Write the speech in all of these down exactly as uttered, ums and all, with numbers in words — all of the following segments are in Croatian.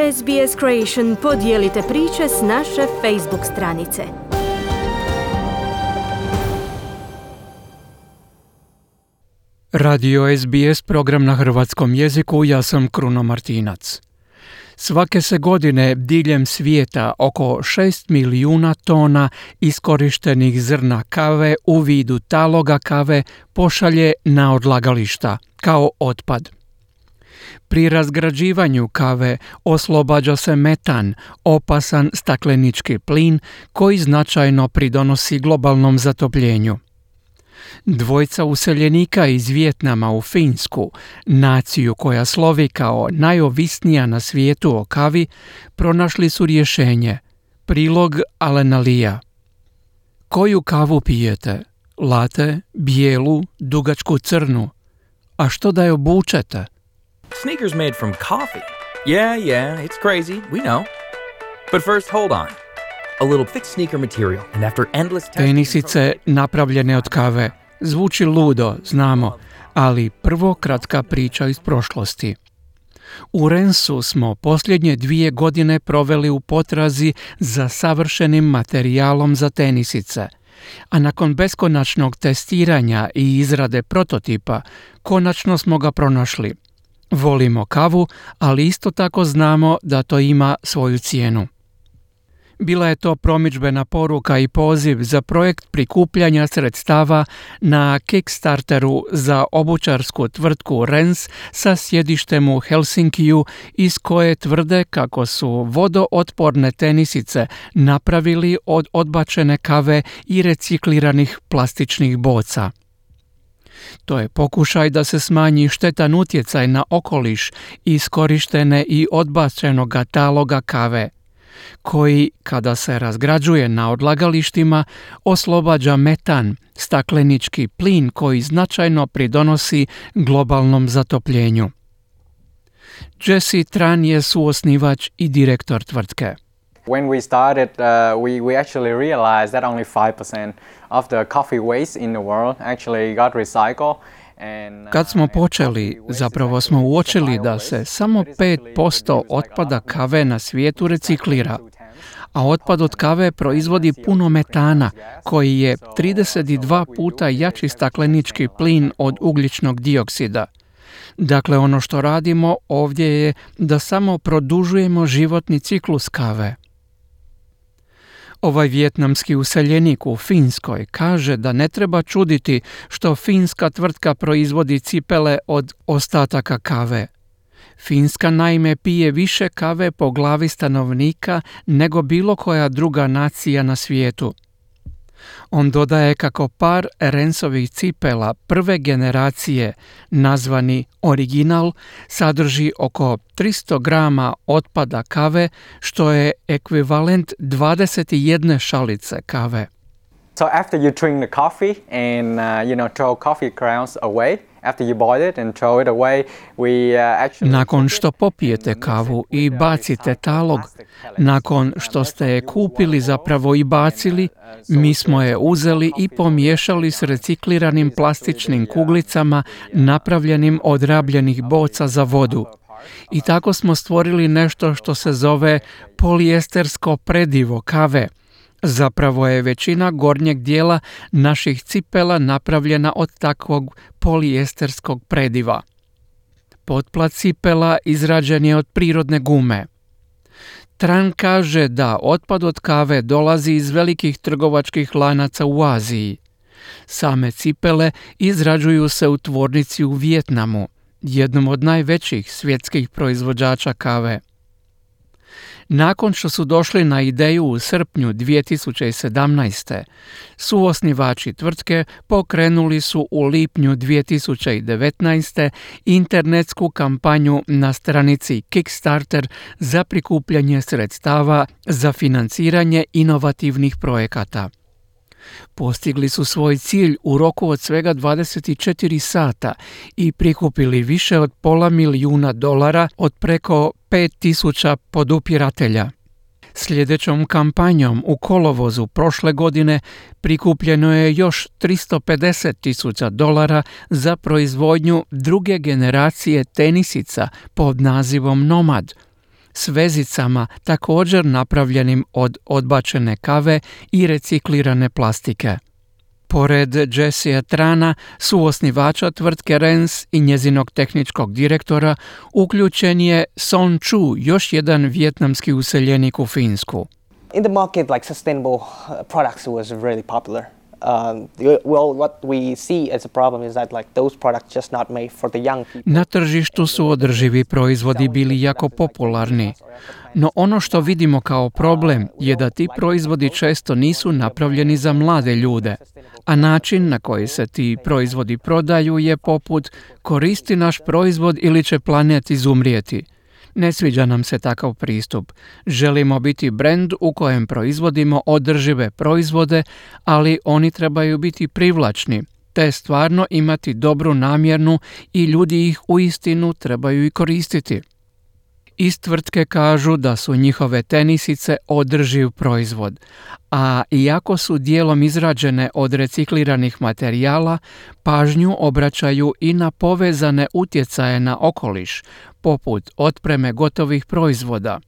S B S Creation podijelite priče s naše Facebook stranice. Radio S B S, program na hrvatskom jeziku, ja sam Kruno Martinac. Svake se godine diljem svijeta oko šest milijuna tona iskorištenih zrna kave u vidu taloga kave pošalje na odlagališta kao otpad. Pri razgrađivanju kave oslobađa se metan, opasan staklenički plin koji značajno pridonosi globalnom zatopljenju. Dvojca useljenika iz Vijetnama u Finsku, naciju koja slovi kao najovisnija na svijetu o kavi, pronašli su rješenje. Prilog Alena Lia. Koju kavu pijete? Latte, bijelu, dugačku crnu? A što da je obučete? Sneakers made from coffee. Yeah, yeah, it's crazy, we know. But first, hold on. A little thick sneaker material, and after endless testing... Tenisice napravljene od kave. Zvuči ludo, znamo, ali prvo kratka priča iz prošlosti. U Rensu smo posljednje dvije godine proveli u potrazi za savršenim materijalom za tenisice, a nakon beskonačnog testiranja i izrade prototipa, konačno smo ga pronašli. Volimo kavu, ali isto tako znamo da to ima svoju cijenu. Bila je to promidžbena poruka i poziv za projekt prikupljanja sredstava na Kickstarteru za obućarsku tvrtku Rens sa sjedištem u Helsinkiju, iz koje tvrde kako su vodootporne tenisice napravili od odbačene kave i recikliranih plastičnih boca. To je pokušaj da se smanji štetan utjecaj na okoliš iskorištene i odbačenoga taloga kave, koji, kada se razgrađuje na odlagalištima, oslobađa metan, staklenički plin koji značajno pridonosi globalnom zatopljenju. Jesse Tran je suosnivač i direktor tvrtke. When we started, uh, we, we actually realized that only five percent of the coffee waste in the world actually got recycled. Kad smo počeli, zapravo smo uočili da se samo pet posto otpada kave na svijetu reciklira, a otpad od kave proizvodi puno metana, koji je trideset dva puta jači staklenički plin od ugljičnog dioksida. Dakle, ono što radimo ovdje je da samo produžujemo životni ciklus kave. Ovaj vijetnamski useljenik u Finskoj kaže da ne treba čuditi što finska tvrtka proizvodi cipele od ostataka kave. Finska naime pije više kave po glavi stanovnika nego bilo koja druga nacija na svijetu. On dodaje kako par Rensovih cipela prve generacije, nazvani Original, sadrži oko tristo grama otpada kave, što je ekvivalent dvadeset jedne šalice kave. So after you drink the coffee and uh, you know throw coffee grounds away, after you boil it and throw it away, we uh, actually... Nakon što popijete kavu i bacite talog, nakon što ste je kupili zapravo i bacili, mi smo je uzeli i pomiješali s recikliranim plastičnim kuglicama napravljenim od rabljenih boca za vodu. I tako smo stvorili nešto što se zove polijestersko predivo kave. Zapravo je većina gornjeg dijela naših cipela napravljena od takvog polijesterskog prediva. Potplat cipela izrađen je od prirodne gume. Tran kaže da otpad od kave dolazi iz velikih trgovačkih lanaca u Aziji. Same cipele izrađuju se u tvornici u Vijetnamu, jednom od najvećih svjetskih proizvođača kave. Nakon što su došli na ideju u srpnju dvije tisuće sedamnaeste. suosnivači tvrtke pokrenuli su u lipnju dvije tisuće devetnaeste. internetsku kampanju na stranici Kickstarter za prikupljanje sredstava za financiranje inovativnih projekata. Postigli su svoj cilj u roku od svega dvadeset četiri sata i prikupili više od pola milijuna dolara od preko pet tisuća podupiratelja. Sljedećom kampanjom u kolovozu prošle godine prikupljeno je još tristo pedeset tisuća dolara za proizvodnju druge generacije tenisica pod nazivom Nomad, s vezicama također napravljenim od odbačene kave i reciklirane plastike. Pored Jessea Trana, suosnivača tvrtke Rens i njezinog tehničkog direktora, uključen je Son Chu, još jedan vijetnamski useljenik u Finsku. In the market, like sustainable products was really popular. Um, well, what we see as a problem is that like those products just not made for the young people. Na tržištu su održivi proizvodi bili jako popularni, no ono što vidimo kao problem je da ti proizvodi često nisu napravljeni za mlade ljude, a način na koji se ti proizvodi prodaju je poput koristi naš proizvod ili će planet izumrijeti. Ne sviđa nam se takav pristup. Želimo biti brend u kojem proizvodimo održive proizvode, ali oni trebaju biti privlačni, te stvarno imati dobru namjernu i ljudi ih uistinu trebaju i koristiti. Iz tvrtke kažu da su njihove tenisice održiv proizvod, a iako su dijelom izrađene od recikliranih materijala, pažnju obraćaju i na povezane utjecaje na okoliš, poput otpreme gotovih proizvoda.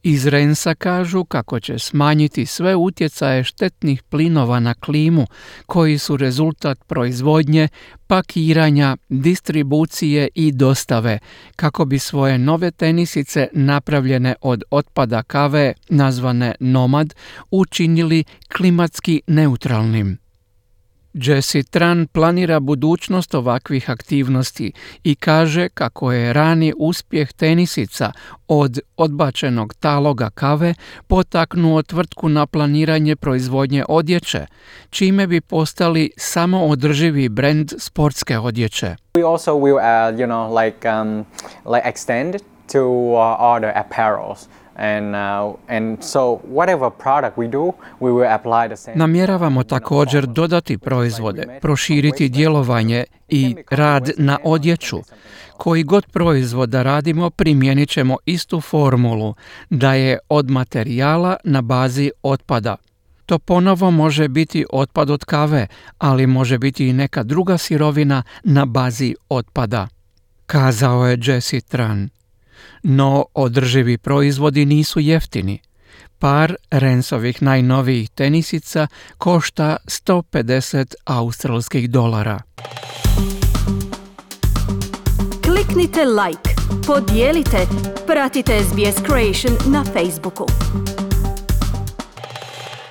Iz Rensa kažu kako će smanjiti sve utjecaje štetnih plinova na klimu koji su rezultat proizvodnje, pakiranja, distribucije i dostave, kako bi svoje nove tenisice napravljene od otpada kave, nazvane Nomad, učinili klimatski neutralnim. Jessea Tran planira budućnost ovakvih aktivnosti i kaže kako je rani uspjeh tenisica od odbačenog taloga kave potaknuo tvrtku na planiranje proizvodnje odjeće, čime bi postali samoodrživi brend sportske odjeće. We also will, uh, you know, like um, like extend to uh, other apparels. And, uh, and so whatever product we do, we will apply the same. Namjeravamo također dodati proizvode, proširiti djelovanje i rad na odjeću. Koji god proizvoda radimo, primijenit ćemo istu formulu, da je od materijala na bazi otpada. To ponovo može biti otpad od kave, ali može biti i neka druga sirovina na bazi otpada, kazao je Jessea Tran. No održivi proizvodi nisu jeftini. Par Rensovih najnovijih tenisica košta sto pedeset australskih dolara. Kliknite like, podijelite, pratite S B S Creation na Facebooku.